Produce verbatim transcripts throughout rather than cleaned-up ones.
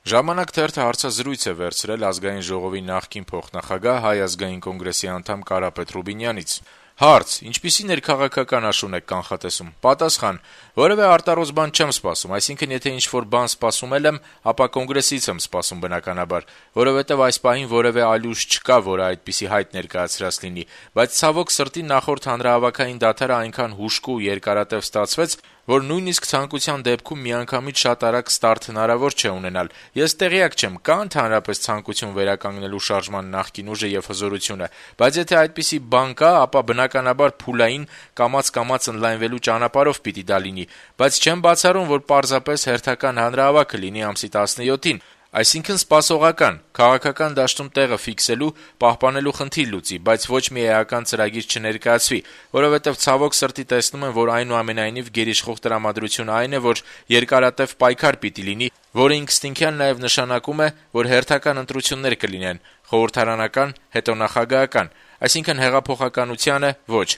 «Ժամանակ» թերթը հարցազրույց է վերցրել Ազգային ժողովի նախկին փոխնախագահ, Հայ ազգային կոնգրեսի անդամ Կարապետ Ռուբինյանից: Հարց. - Ինչպիսի ներքաղաքական աշուն եք կանխատեսում: Պատասխան. - Որեւէ արտարոց բան չեմ սպասում, այսինքն եթե ինչ-որ բան սպասում էլ եմ, ապա կոնգրեսից եմ սպասում բնականաբար, որովհետեւ այս պահին որեւէ այլ ուժ չկա, որը այդպիսի հայտ ներկայացրած լինի, բայց ցավոք սրտի նախորդ հանրահավաքային դադարը այնքան հուժկու ու երկարատեւ ստացվեց, որ նույնիսկ ցանկության դեպքում միանգամից շատ արագ ստարտ հնարավոր չէ ունենալ: Ես տեղյակ չեմ, կա՞ ընդհանրապես ցանկություն վերականգնելու շարժման նախկին ուժը եւ հզորությունը, բայց եթե այդպիսի բան կա, ապա բնականաբար փուլային, կամաց-կամաց ընդլայնվելու ճանապարհով պիտի դա լինի, բայց չեմ բացառում, որ պարզապես հերթական հանրահավաքը լինի ամսի տասնյոթին, այսինքն սպասողական, քաղաքական դաշտում տեղը ֆիքսելու, պահպանելու խնդիր լուծի, բայց ոչ մի էական ծրագիր չներկայացվի, որովհետեւ ցավոք սրտի տեսնում եմ, որ այնուամենայնիվ գերիշխող տրամադրությունը այն է, որ երկարատեւ պայքար պիտի լինի, որը ինքնըստինքյան նաեւ նշանակում է, որ հերթական ընտրություններ կլինեն, խորհրդարանական, հետո նախագահական, այսինքն հեղափոխականությանը ոչ: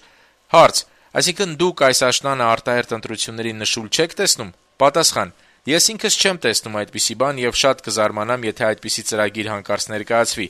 Հարց. - Այսինքն դուք այս աշնանը արտահերթ ընտրությունների նշույլ չեք տեսնում: Պատասխան. - Ես ինքս չեմ տեսնում այդպիսի բան եւ շատ կզարմանամ, եթե այդպիսի ծրագիր հանկարծ ներկայացվի: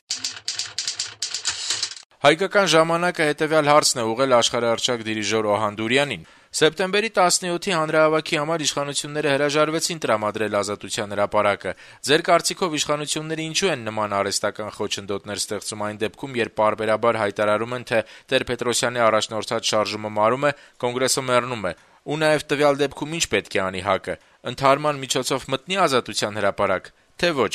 «Հայկական ժամանակ»-ը հետեւյալ հարցն է ուղղել աշխարհահռչակ դիրիժոր Օհան Դուրյանին. - Սեպտեմբերի տասնյոթի հանրահավաքի համար իշխանությունները հրաժարվեցին տրամադրել Ազատության հրապարակը: Ձեր կարծիքով իշխանությունները ինչու են նման արհեստական խոչընդոտներ ստեղծում այն դեպքում, երբ պարբերաբար հայտարարում են, թե Տեր-Պետրոսյանի առաջնորդած շարժումը մարում է, Կոնգրեսը մեռնում է: Ու նաեւ տվյալ դեպքում ի՞նչ պետք է անի ՀԱԿ-ը: Ընդհարման միջոցով մտնի Ազատության հրապարակ, թե՞ ոչ: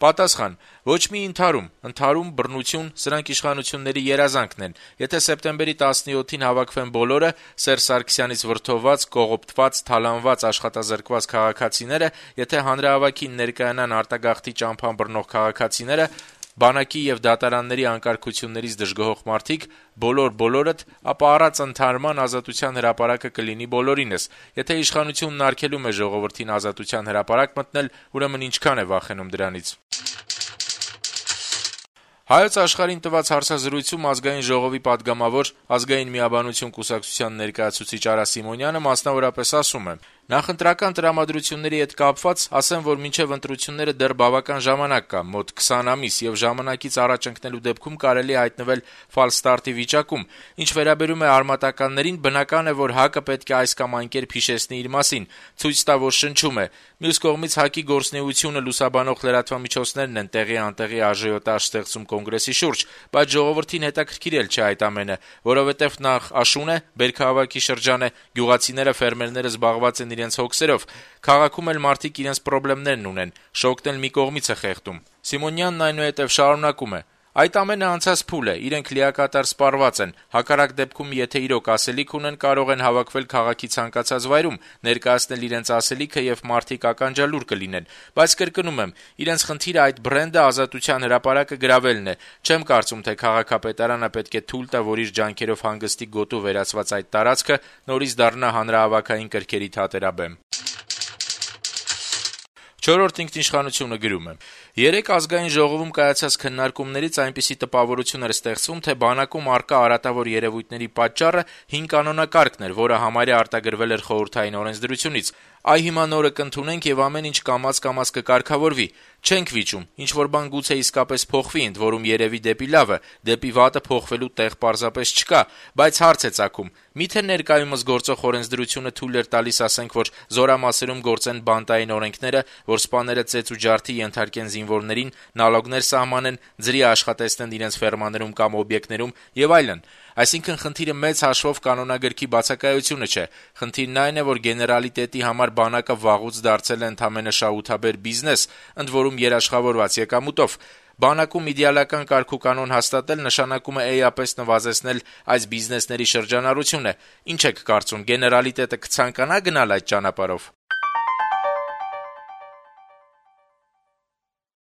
Պատասխան. - Ոչ մի ընդհարում, ընդհարում, բռնություն, սրանք իշխանությունների երազանքն են: Եթե սեպտեմբերի տասնյոթին հավաքվեն բոլորը, Սերժ Սարգսյանից վրդովված, կողոպտված, թալանված, աշխատազրկված քաղաքացիները, եթե հանրահավաքին ներկայանան արտագաղթի ճամփան բռնող քաղաքացիները, բանակի եւ դատարանների անկարգություններից դժգոհող մարդիկ, բոլոր-բոլորդ, ապա առանց ընդհարման Ազատության հրապարակը կլինի բոլորինս: Եթե իշխանությունն արգելում է ժողովրդին Ազատության հրապարակ մտնել, ուրեմն ինչքան է վախենում դրանից»: «Հայոց Աշխարհ»-ին տված հարցազրույցում Ազգային ժողովի պատգամավոր, Ազգային միաբանություն կուսակցության ներկայացուցիչ Արա Սիմոնյանը մասնավորապես ասում է. - «Նախընտրական տրամադրությունների հետ կապված ասեմ, որ մինչեւ ընտրությունները դեռ բավական ժամանակ կա, մոտ քսան ամիս, եւ ժամանակից առաջ ընկնելու դեպքում կարելի է հայտնվել ֆալշտարտի վիճակում: Ինչ վերաբերում է արմատականներին, բնական է, որ ՀԱԿ-ը պետք է այս կամ այն կերպ հիշեցնի իր մասին, ցույց տա, որ շնչում է: Մյուս կողմից ՀԱԿ-ի գործունեությունը լուսաբանող լրատվամիջոցներն են տեղի-անտեղի աժիոտաժ ստեղծում Կոնգրեսի շուրջ, բայց ժողովրդին հետաքրքիր էլ չէ այդ ամենը, որովհետեւ նախ աշուն է, բերքահավաքի շրջան է, գյուղացիները, ֆերմերները զբաղված են իրենց հոգսերով, քաղաքում էլ մարդիկ իրենց պրոբլեմներն ունեն, շոգն էլ մի կողմից է խեղդում»: Սիմոնյանն այնուհետեւ շարունակում է. - «Այդ ամենը անցած փուլ է, իրենք լիակատար սպառված են, հակառակ դեպքում, եթե իրոք ասելիք ունեն, կարող են հավաքվել քաղաքի ցանկացած վայրում, ներկայացնել իրենց ասելիքը եւ մարդիկ ականջալուր կլինեն: Բայց կրկնում եմ, իրենց խնդիրը այդ բրենդը Ազատության հրապարակը գրավելն է: Չեմ կարծում, թե քաղաքապետարանը պետք է թույլ տա, որ իր ջանքերով հանգստի գոտու վերածված այդ տարածքը նորից դառնա հանրահավաքային կրքերի թատերաբեմ»: «Չորրորդ ինքնիշխանություն»-ը գրում է. - «Երեկ Ազգային ժողովում կայացած քննարկումներից այնպիսի տպավորություն էր ստեղծվում, թե բանակում առկա արատավոր երեւույթների պատճառը հին կանոնակարգն էր, որը համարյա արտագրվել էր խորհրդային օրենսդրությունից: Այ հիմա նորը կընդունենք եւ ամեն ինչ կամաց-կամաց կկարգավորվի: Չենք վիճում, ինչ-որ բան գուցե իսկապես փոխվի, ընդ որում երեւի դեպի լավը, դեպի վատը փոխվելու տեղ պարզապես չկա: Բայց հարց է ծագում՝ միթե ներկայումս գործող օրենսդրությունը թույլ էր տալիս, ասենք որ զորամասերում գործեն բանտային օրենքները, որ սպաները ծեծ ու ջարդի ենթարկեն զինվորներին, նալոգներ սահմանեն, ձրի աշխատեցնեն իրենց ֆերմաներում կամ օբյեկտներում եւ այլն: Այսինքն խնդիրը մեծ հաշվով կանոնագրքի բացակայությունը չէ: Խնդիրն այն է, որ գեներալիտետի համար բանակը վաղուց դարձել է ընդամենը շահութաբեր բիզնես, ընդ որում երաշխավորված եկամուտով: Բանակում իդեալական կարգուկանոն հաստատել նշանակում է էապես նվազեցնել այս բիզնեսների շրջանառությունը: Ինչ եք կարծում, գեներալիտետը կցանկանա՞ գնալ այդ ճանապարհով»: